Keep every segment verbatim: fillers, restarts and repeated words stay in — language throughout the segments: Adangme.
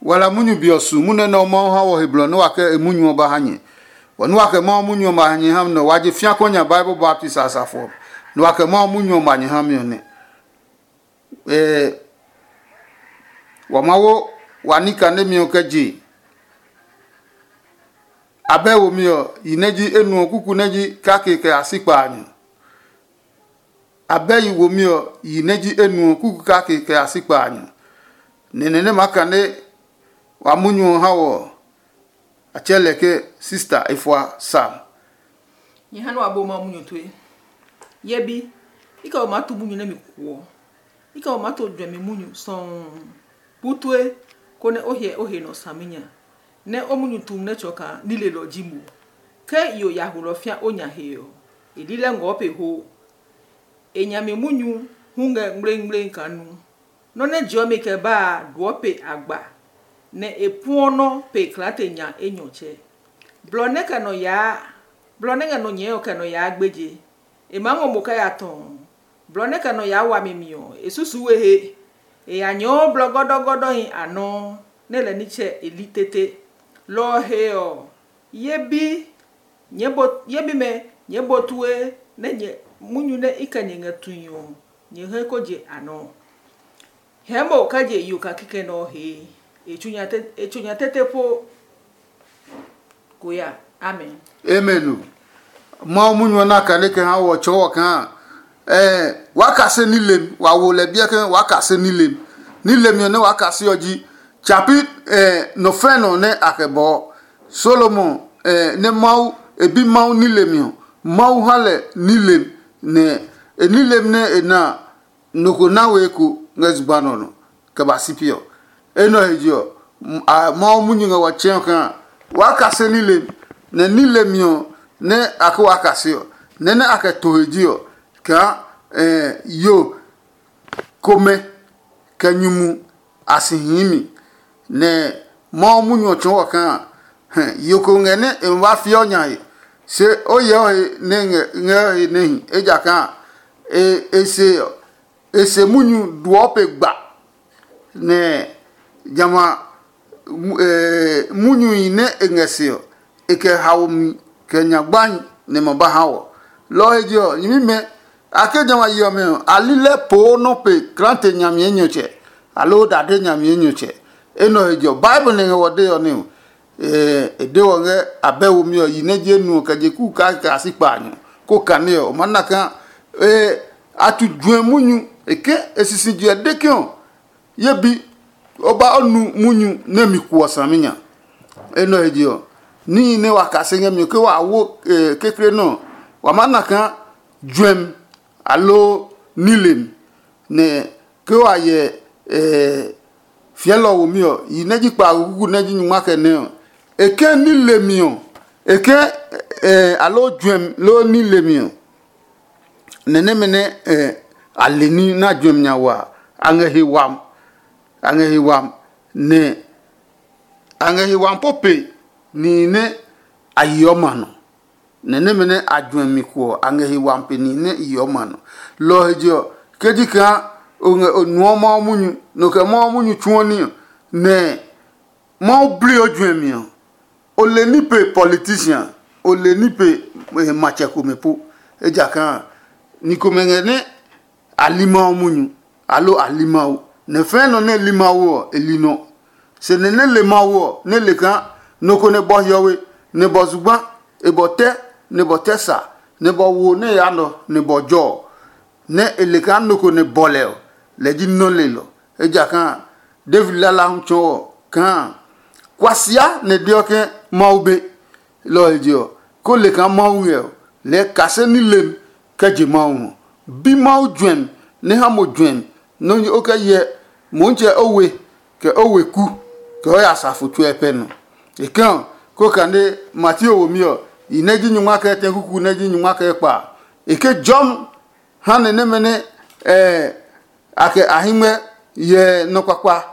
Wa la munyu be ɔ su munyu nɛ Mawu ha wɔ he blɔ nɛ wa kɛ e munyu ɔ ba ha nyɛ. Bɔ nɛ wa kɛ Mawu munyu ɔ ba ha nyɛ ha mi nɛ wa je fia kɔ nya Bible baptist a safo ɔ, nɛ wa kɛ Mawu munyu ɔ ba nyɛ ha mi ɔ nɛ. Ɛɛ, wa Mawu wa ní kanemi ɔ kɛ je. Abɛ womi ɔ, yi nɛ ji enuɔ kuku nɛ ji kake kɛ ya si kpaanyɔ. Abɛ yi womi ɔ, yi nɛ ji enuɔ kuku kake kɛ ya si kpaanyɔ. Nɛnɛ nɛ maa kane wa munyu ɔ ha wɔ ɔ, a tsɛɛ lɛ ke sista efua Sam. Nyɛ ha nɛ wa bo Mawu munyu tue. Ye bi, i kɛ o maa tu munyu nɛ mi kuɔ. I kɛ o maa to juɛmi munyu sɔuu. Bu tue, konɛ o hyɛ o he nɔ saminya, nɛ o munyu tum nɛ tsɔ kaa nilelɔ ji mo. Ke yo ya hulɔ fĩa o nya he ɔ, e lilɛ ngɔɔ pe ho. E nyami munyu hu ngɛ ngmlengmleng kaa nu. Nɔ́ nɛ jeɔ mi kɛ ba a duɔ pe agba, nɛ e puɔ nɔ́ pe klaate nya enyɔtsɛ. Blɔ nɛ kɛ nɔ yaa, blɔ nɛ ngɛ nɔ nyɛɛ ɔ kɛ nɔ yaa gbeje. E maa ngɔ mo kɛ ya tɔɔ. Blɔ nɛ kɛ nɔ yaa wami mi ɔ, e susu we he. E ya nyɔɔ blɔ gɔdɔgɔdɔhi a nɔuu, nɛ lɛ nitsɛ e li tete. Lɔ ɔ he ɔ, ye bi, nyɛɛ bo ye bimɛ, nyɛɛ bo tue, nɛ nyɛ munyu nɛ i kɛ nyɛ ngɛ tui ɔ, nyɛ he ko je a nɔ. Hɛɛ mo kɛ je yo kake kɛ nɛ ɔ hee. E tsu nya tete po. Ko ya. Amen. Amen o. Mawu munyu ɔ na kane kɛ ha wɔ tsɔɔ wɔ kaa, eh, waa kase nilem, wa wo lɛ biɛ ke waa kase nilem. Nilem ɔ nɛ waa kase ɔ ji tsapi, eh, nɔ fɛ nɔ nɛ a kɛ bɔɔ. Solomon, eh, nɛ Mawu e bi Mawu nilem ɔ, Mawu ha lɛ nilem, nɛ e nilem nɛ e na a, nɔ ko na we eko ngɛ zugba nɔ nɔ kɛ ba si pi ɔ. Enɛ ɔ he je ɔ, Mawu munyu ngɛ wa tsɛɔ kaa waa kase nilem, nɛ nilemi ɔ nɛ a ke waa kase ɔ, nɛ nɛ a kɛ to he ji ɔ, kaa yo komɛ kɛ nyumu a si hii mi. Nɛ Mawu munyu ɔ tsɔɔ wɔ kaa, hɛ, yo ko ngɛ nɛ e ma ba fiɔ nya he, se o yɛ o he nɛ ngɛ ngɛ he nɛ hi, ejakaa e e se ɔ, e se munyu duɔ pe gba, nɛ jamɛ a, mu- ɛɛ, munyu nɛ e ngɛ se ɔ, e kɛ haomi kɛ nya gbahi nɛ ma ba ha wɔ. Lɔ ɔ he je ɔ, nyɛmimɛ, a ke jamɛ a yi ɔmɛ ɔ, a li lɛ poo nɔ́ pe klaate nyami enyɔtsɛ, aloo dade nyami enyɔtsɛ. Enɛ ɔ he je ɔ, Bible nɛ ngɛ wɔ dee ɔ nɛ ɔ, e de wɔ ngɛ abɛ womi ɔ yi nɛ je nu ɔ kɛ je kuu kake a si kpaanyɔ, ko kane ɔ, o maa na kaa a tu juɛ munyu. E ke e sisi juɛ de ke ɔ, ye bi, o ba o nu munyu nɛ mi kuɔ saminya. Enɛ ɔ he je ɔ, níhi nɛ wa kase ngɛ mi ɔ, ke wa wo kekle nɛ ɔ, wa maa na kaa juɛmi aloo nilemi. Nɛ ke wa hyɛ fiɛlɔ womi ɔ, yi nɛ ji kpaago kuku nɛ ji nyungma kɛ nɛ ɔ, e ke nilemi ɔ, e ke aloo juɛmi loo nilemi ɔ, nɛ nɛmɛ nɛ a le ní na juɛmi nya wa a, a ngɛ he wam, a ngɛ he wam, nɛ a ngɛ he wam po pe nihi nɛ a yeɔ ma nɔ. Nɛ nɛmɛ nɛ a juɛ mi kuɔ a ngɛ he wami pe nihi nɛ i yeɔ ma nɔ. Lɔ ɔ he je ɔ, ke ji kaa o ngɛ o nuɔ Mawu munyu, nɔ kɛ Mawu munyu tsuɔ ní ɔ, nɛ Mawu bli o juɛmi ɔ, o le ní pe politician, o le ní pe matsɛ komɛ po. Ejakaa ni komɛ ngɛ nɛ a li Mawu munyu, aloo a li Mawu. Nɛ fɛ̃ nɔ nɛ li Mawu ɔ, e li nɔ. Se nɛ nɛ le Mawu ɔ, nɛ le kaa nɔ ko nɛ bɔ hiɔwe, nɛ bɔ zugba, e bɔ tɛ, nɛ bɔ tɛ sa, nɛ bɔ wo nɛ yaa nɔ, nɛ bɔ jɔ ɔ, nɛ e le kaa nɔ ko nɛ bɔ lɛ ɔ, lɛ ji nɔ́ lelɔ. Ejakaa David lala hu tsɔɔ ɔ kaa, kuasia nɛ deɔ ke Mawu be. Lɔ ɔ he je ɔ, ko le kaa Mawu ngɛ ɔ, lɛɛ kase ní lem kɛ je Mawu ngɔ. Bi Mawu juɛmi nɛ ha mo juɛmi nɛ o kɛ hyɛ Motsɛ o we, kɛ o weku, kɛ o ya safo tsuɛ pɛ nɔ. E kɛ ɔ, ko kane Mateo womi ɔ, i nɛ ji nyungma kɛ tɛ kuku nɛ ji nyungma kɛ kpa a. E ke jɔmi ha nɛ nɛmɛ nɛ a kɛ a hɛngmɛ hyɛ nɔ kpakpa,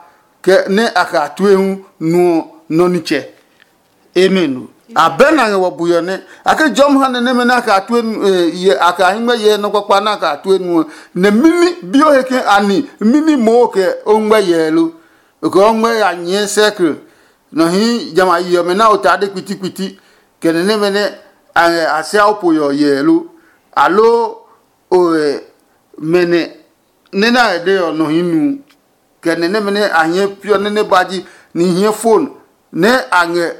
kɛ nɛ a kɛ a tue hu nuɔ nɔ nitsɛ. Amen. Abɛ na ngɛ wɔ buyɔ nɛ a ke jɔmi ha nɛ nɛmɛ nɛ a kɛ a tue nu- eh, yɛ a kɛ a hɛngmɛ hyɛ nɔ kpakpa nɛ a kɛ a tue nuɔ. Nɛ mimi bi o he ke ani mimi moo kɛ o ngmɛ yɛ lo. okɛ ɔ ngmɛ ya nyɛɛ sɛkl nɔ hii jamɛ a yi ɔmɛ na o ta de kpitikpiti, kɛ nɛ nɛmɛ nɛ a ngɛ a sia o po yɔ yɛɛ lo? Aloo o mɛ nɛ nɛ na ngɛ de ɔ nɔ hii nu? Kɛ nɛ nɛmɛ nɛ a hiɛ piɔ nɛ nɛ ba ji ni hiɛ fon nɛ a ngɛ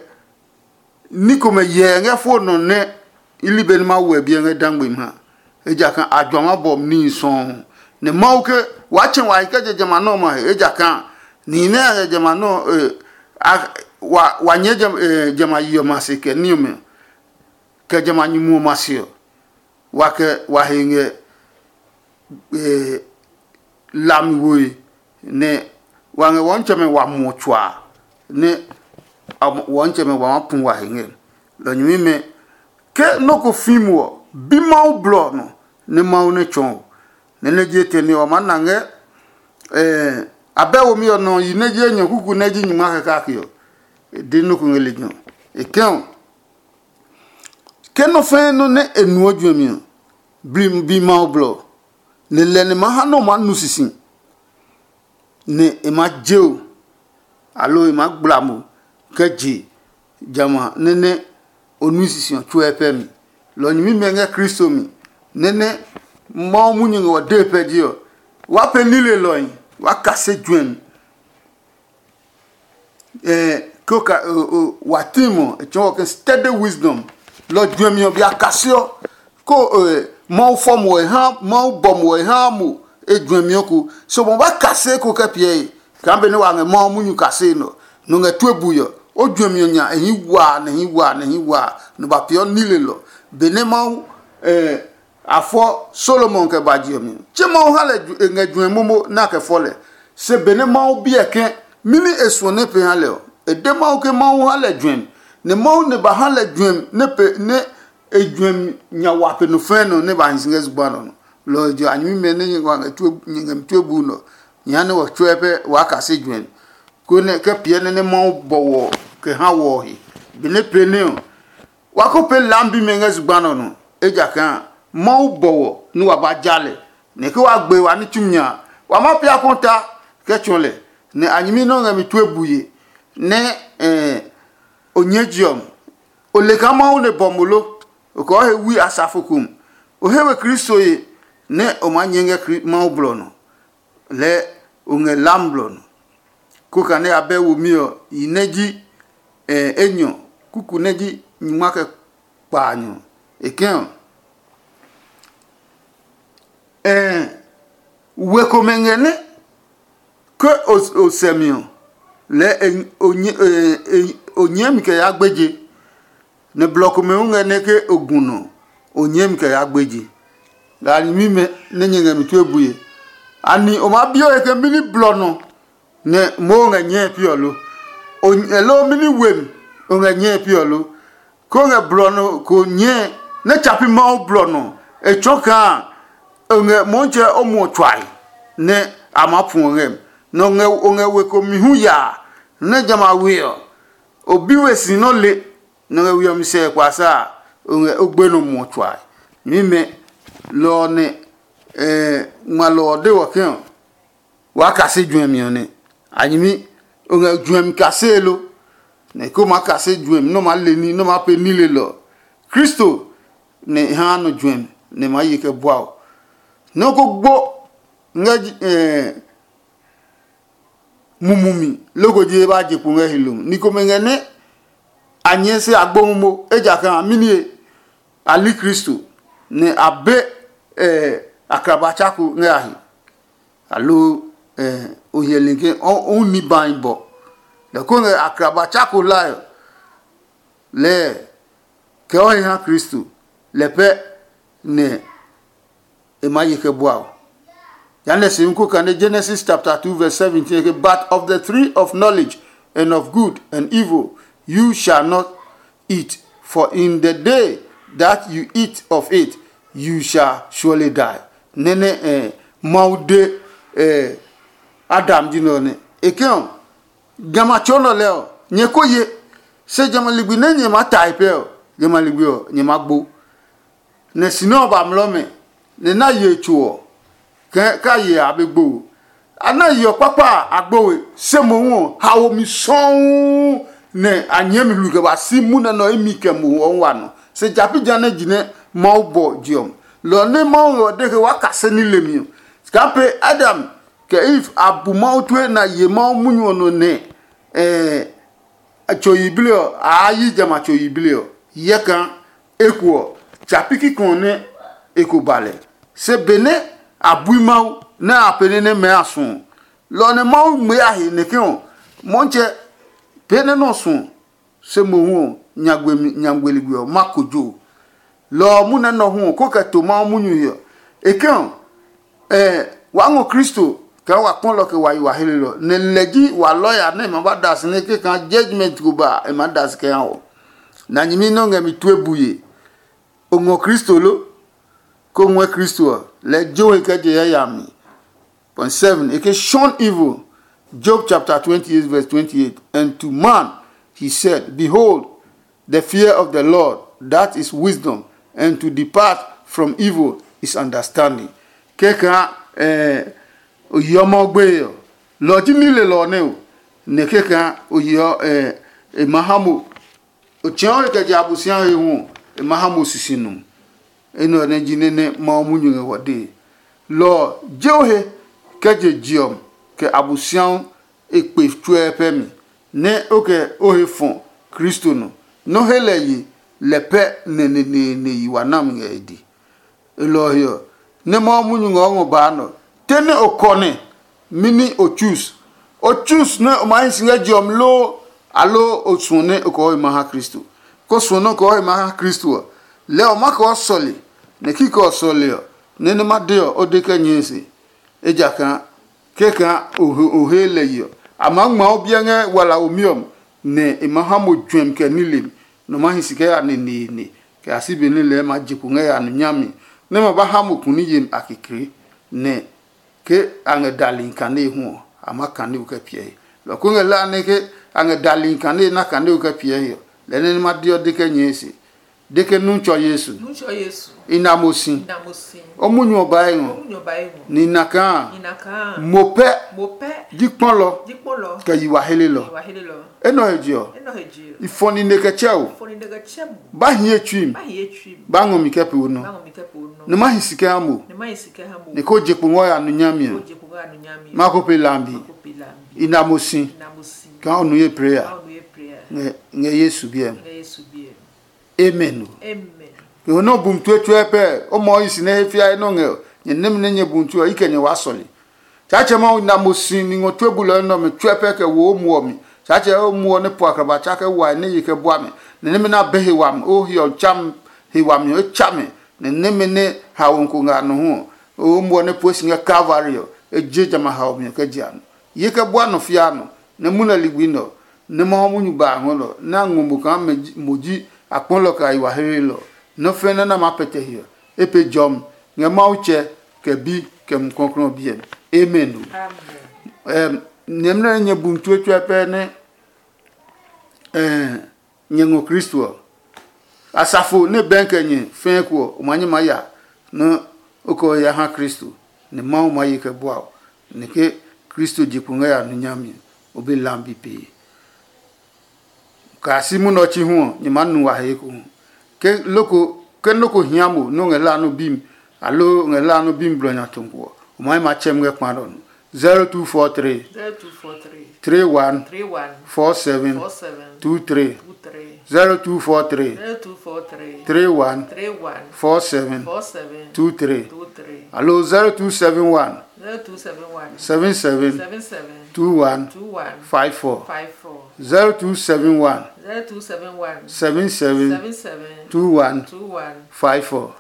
ní komɛ yɛɛ ngɛ fo nɔ nɛ i li be nɛ Mawu wɛ biɛ ngɛ dangbe mi ha. Ejakaa a juama bɔmi níhi sɔuu, nɛ Mawu ke waa tsɛ wa hi kɛ je jamɛ a nɔmlɔ he, ejakaa nihi nɛ a ngɛ jamɛ a nɔ wa nyɛɛ jamɛ a yi ɔmɛ a se kɛ ní ɔmɛ, kɛ jamɛ a nyumu ɔmɛ a se ɔ, wa kɛ wa he ngɛ lami woe, nɛ wa ngɛ wɔnitsɛmɛ wa muɔ tsuaa, nɛ wɔnitsɛmɛ wa maa pu wa he ngɛ. Lɔ nyɛmimɛ, ke nɔ́ ko fi mo ɔ, bi Mawu blɔ ɔ nɔ, nɛ Mawu nɛ tsɔɔ o. Nɛ nɛ je tɛ nɛ wa maa na ngɛ abɛ womi ɔ nɔ yi nɛ ji enyɔ kuku nɛ ji nyingma kɛ kake ɔ, e de nɔ́ ko ngɛ lejɛ ɔ. E kɛ ɔ, ke nɔ́ fɛɛ nɔ́ nɛ e nuɔ juɛmi ɔ, bi Mawu blɔ ɔ, nɛ lɛ nɛ ma ha nɛ o maa nu sisi, nɛ e maa je o, aloo e maa gbla mo kɛ je jamɛ a nɛ nɛ o nui sisi ɔ tsuɛ pɛ mi. Lɔ nyɛmimɛ ngɛ Kristo mi, nɛ nɛ Mawu munyu ngɛ ɔ dee pɛ ji ɔ, waa pɛ nilelɔhi, waa kase juɛmi. Ko ka wa tim ɔ, e tsɔɔ ke study wisdom. Lɔ juɛmi ɔ bia kaseɔ, ko Mawu fɔ mo e ha, Mawu bɔ mo e ha mo e juɛmi ɔ ko. So mo ba kase ko kɛ piɛ e kaa benɛ wa ngɛ Mawu munyu kase nɔ, nɔ ngɛ tue bui ɔ, o juɛmi ɔ nya e hii waa nɛ hii waa nɛ hii waa nɔ ba peeɔ nilelɔ. Benɛ Mawu a fɔ Solomon kɛ ba je ɔ mi. Tse Mawu ha lɛ e ngɛ juɛ momo nɛ a kɛ fɔ lɛ. Se benɛ Mawu biɛ ke mini e suɔ nɛ pee ha lɛ ɔ, e de Mawu ke Mawu ha lɛ juɛmi, nɛ Mawu nɛ ba ha lɛ juɛmi nɛ pe nɛ e juɛmi nya wa pe nɔ fɛɛ nɔ nɛ ba hi si ngɛ zugba nɔ nɔ. Lɔ ɔ je a nyɛmimɛ nɛ nyɛ ngɛ mi tue bu nɔ, nyɛ ha nɛ wɔ tsuɛ pɛ waa kase juɛmi, konɛ kɛ piɛ nɛ nɛ Mawu bɔ wɔ kɛ ha wɔ ɔ he. Benɛ pee nɛ ɔ, wa ko pee lambi mɛ ngɛ zugba nɔ nɔ, ejakaa Mawu bɔ wɔ nɛ wa ba ja lɛ, nɛ ke wa gbe wa ní tsumi nya a, wa ma pia kɔta kɛ tsɔɔ lɛ, nɛ a nyɛmi nɛ o ngɛ mi tue bue nɛ o nyɛɛ je ɔ. O le kaa Mawu nɛ bɔ mo lo? O kɛ o he wui asafo ko mi. O he we Kristo ye nɛ o maa nyɛɛ ngɛ Mawu blɔ nɔ. Lɛɛ o ngɛ lam blɔ nɔ. Ko kane abɛ womi ɔ yi nɛ ji enyɔ kuku nɛ ji nyingma kɛ kpaanyɔ. E kɛ̃ ɔ, we komɛ ngɛ nɛ ke o sɛ mi ɔ, lɛɛ o nyɛɛ mi kɛ yaa gbeje. Nɛ blɔ komɛ hu ngɛ nɛ ke o gu nɔ, o nyɛɛ mi kɛ yaa gbeje. Lɛ a nyɛmi mɛ nɛ nyɛ ngɛ mi tue bue. Ani o maa bi o he ke mɛni blɔ nɔ nɛ moo ngɛ nyɛe pi ɔ lo? Loo mɛni we mi o ngɛ nyɛe pi ɔ lo? Ko ngɛ blɔ nɔ ko nyɛe nɛ tsa pi Mawu blɔ nɔ, e tsɔɔ kaa o ngɛ Mɔɔtsɛ o muɔ tsuae nɛ a maa pu o ngɛ mi. Nɛ o ngɛ we ko mi hu yaa, nɛ jamɛ a we ɔ, o bi we si nɔ́ le. Nɛ ngɛ we ɔ mi sɛ kpasa a, o ngɛ o gbe nɔ muɔ tsuae. Mimɛ lɔ ɔ nɛ ngmalɔ ɔ de wɔ ke ɔ, waa kase juɛmi ɔ nɛ. A nyɛmi o ngɛ juɛmi kasee lo? Nɛ ko maa kase juɛmi nɛ o maa le ní nɛ o maa pee nilelɔ ɔ, Kristo nɛ e haa nɔ juɛmi nɛ e maa ye kɛ bua o. Nɔ́ ko gbo ngɛ mumumi loko ji e ba je kpo ngɛ hilo. Ni komɛ ngɛ nɛ a nyɛɛ se a gbo momo, ejakaa a mini a li Kristo, nɛ a be akraba tsako ngɛ a he. Aloo o hyɛli ke o ni bahi bɔ. Lɛ ko ngɛ akraba tsako hlae ɔ, lɛɛ kɛ o he ha Kristo, lɛ pɛ nɛ e maa ye kɛ bua o. Jehanɛ se ko kane Genesis chapter two verse seventeen ke, "But of the tree of knowledge and of good and evil you shall not eat, for in the day that you eat of it you shall surely die." Nɛnɛ eh, Mawu de eh, Adam ji nɔ nɛ e ke ɔ, jamɛ a tsɔɔ nɔ lɛ ɔ, nyɛ ko ye, se jamɛ ligbi nɛ nyɛ maa tae pɛ ɔ, jamɛ ligbi ɔ nyɛ maa gbo. Nɛ si nɛ ɔ ba mlɔ mɛ, nɛ na ye tso ɔ, kɛ ka ye a be gbo. a na yeɔ kpakpa a, a gbo we, se mohu ɔ, haomi sɔuu nɛ a nyɛɛ mi hlui kɛ ba si munɛ nɔ imi kɛ mohu ɔ wa nɔ. Se ja pi ja nɛ ji nɛ Mawu bɔ je ɔ. Lɔ nɛ Mawu ngɛ ɔ de ke waa kase ní lemi ɔ, kaa pe Adam kɛ Eve a bu Mawu tue na ye Mawu munyu ɔ nɔ nɛ a tso yiblii ɔ, a yi jamɛ a tso yiblii ɔ. Hyɛ kaa eko ɔ, tsa pi kikɔ nɛ e ko ba lɛ. Se benɛ a bui Mawu nɛ a pee nɛ nɛ mɛɛ a suɔ, lɔ ɔ nɛ Mawu ngmɛɛ a he nɛ ke ɔ, Mɔtsɛ, pee nɛ nɔ suɔ, se mohu ɔ, nyagbe ligbi ɔ ma kojo. Lɔ ɔ munɛ nɔ hu ɔ, ko kɛ to Mawu munyu he ɔ. E ke ɔ, ɛɛ wa ngɔ Kristo kaa wa kpɔ lɔ kɛ wa yi wa hlelɔ, nɛ lɛ ji wa lɔya nɛ e ma ba da si nɛ ke kaa judgment ko ba e ma da si kɛ ha wɔ. Na nyɛmi nɛ o ngɛ mi tue buye. O ngɔ Kristo lo? Ko ngɔɛ Kristo ɔ, lɛɛ jo he kɛ je yayami. Point seven, e ke shun evil. Job chapter twenty-eight, verse twenty-eight. And to man he said, "Behold, the fear of the Lord, that is wisdom, and to depart from evil is understanding." Kɛkaa eh, o yeɔ Mawu gbeye ɔ, lɔ ɔ ji nilelɔ ɔ nɛ o, nɛ kɛkaa o yeɔ eh, e ma ha mo. O tsɛ̃ɔ he kɛ je Abosiami he hu ɔ, e ma ha mo sisi nu. Enɛ ɔ nɛ ji nɛ nɛ Mawu munyu ngɛ wɔ dee. Lɔ ɔ, je o he kɛ je je ɔ mi, kɛ Abosiami e kpe tsuɛ pɛ mi, nɛ o kɛ o he fɔ Kristo nɔ, nɛ o he lɛ ye lɛ pɛ nɛ neneene yi wa nami ngɛ e dee. E lɔ ɔ he ɔ, nɛ Mawu munyu ngɛ o ngɔ baa nɛ ɔ, te nɛ o kɔne, mɛni o choose? O choose nɛ o ma hi si ngɛ je ɔ mi loo, aloo o suɔ nɛ o kɔɔ he ma ha Kristo? Ko suɔ nɛ o kɔɔ he ma ha Kristo ɔ, lɛɛ o ma kɔɔ sɔle, nɛ kikɛ ɔ sɔle ɔ, nɛ nɛ ma de ɔ, o de kɛ nyɛɛ se. Ejakaa kɛkaa o he lɛ yi ɔ, a maa ngma o biɛ ngɛ wala womi ɔ mi, nɛ e ma ha mo juɛmi kɛ nilemi, nɛ o ma hi si kɛ ya neneene, kɛ ya si benɛ lɛɛ ma je kpo ngɛ ya nu nyami, nɛ ma ba ha mo kuni yemi a kekle, nɛ ke a ngɛ dali kane hu ɔ, a ma kane o kɛ piɛ he. Lɔ ko ngɛ la nɛ ke a ngɛ dali kane na kane o kɛ piɛ he ɔ, lɛ nɛ ma deɔ de kɛ nyɛɛ se. De ke nu tsɔ Yesu. Nu tsɔ Yesu. I na mo si. I na mo si. O munyu ɔ ba e ngɔ. O munyu ɔ ba e ngɔ. Ni na kaa. Ni na kaa. Mo pɛ. Mo pɛ. Ji kpɔlɔ. Ji kpɔlɔ. Kɛ yi wa hele lɔ. Yi wa hele lɔ. Enɔ he je ɔ. Enɔ he je ɔ. I fɔ ni ne kɛ tsɛ o. Fɔ ni ne kɛ tsɛ mo. Ba hi e tsui mi. Ba hi e tsui mi. Ba ngɔ mi kɛ pe o nɔ. Ba ngɔ mi kɛ pe o nɔ. Ne ma hi si kɛ ha mo. Ne ma hi si kɛ ha mo. Ne ko je kpo ngɔ ya nu nya mi. Ko je kpo ngɔ ya nu nya mi. Ma ko pe lambi. Ma ko pe lambi. I na mo si. I na mo si. Ka o nu ye prayer. Ka o nu ye prayer. Ngɛ ngɛ Yesu biɛ. Ngɛ Yesu biɛ. Amen o. Amen. Ke ho nɔ bum tue tue pɛ, o mɔ yi si nɛ he fia nɔ ngɛ nyɛ nemi nɛ nyɛ bum tue ɔ, i kɛ nyɛ wa sɔle. Tsaatsɛ Mawu na mo si ni ngɔ tue bulɔ nɛ ɔmɛ tsuɛ pɛ kɛ wo o muɔ mi. Tsaatsɛ o muɔ nɛ po akraba tsa kɛ wa nɛ ye kɛ bua mi. Nɛ nɛmɛ na be he wami, o hiɔ tsam he wami ɔ, e tsa mi. Nɛ nɛmɛ nɛ haomi ko ngɛ a nɔ hu ɔ, o muɔ nɛ pue si ngɛ Kalvari ɔ, e je jamɛ a haomi ɔ kɛ je a nɔ. Ye kɛ bua nɔ fia nɔ, nɛ munɛ ligbi nɛ ɔ, nɛ Mawu munyu ba a ngɔ nɛ ɔ, nɛ a ngɔ mo kaa mo ji akpɔlɔ kɛ a yi wa hehelɔ. Nɔ́ fɛ́ nɛ nɛ a maa pɛtɛ hiɔ, e pe jɔmi ngɛ Mawu Tsɛ, kɛ Bi, kɛ Mumi Klɔuklɔu ɔ biɛ mi. Amen. Nyɛmimɛ nɛ nyɛ bumi tsuo tsuɛ pɛ nɛ nyɛ ngɔ Kristo ɔ, asafo nɛ bɛɛ kɛ nyɛ fɛɛ ko ɔ, o ma nyɛ maa ya nɛ o kɛ o ya ha Kristo, nɛ Mawu maa ye kɛ bua o, nɛ ke Kristo je kpo ngɛ ya nu nyami ɔ, o be lambi pee. Kaa si munɛ ɔ chi hu ɔ, nyɛ maa nu wa he ekohu. Ke loko ke nɔ́ ko hia mo nɛ o ngɛ la nɔ́ bi mi, aloo o ngɛ la nɔ́ bi mi blɔ nya tɔ̃ ko ɔ, o ma yi ma tsɛ mi ngɛ kpa nɛ ɔ nɔ. zero two four three, three one, four seven, two three. zero two four three, three one, four seven, two three. Aloo zero two seven one, seven seven, two one, five four. zero two seven one, seven seven, two one, five four.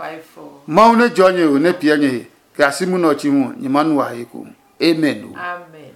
Mawu nɛ jɔ nyɛ ho nɛ piɛ nyɛ he, kɛ a si munɛ ɔ chi hu ɔ, nyɛ ma nu wa he ko. Amen o. Amen.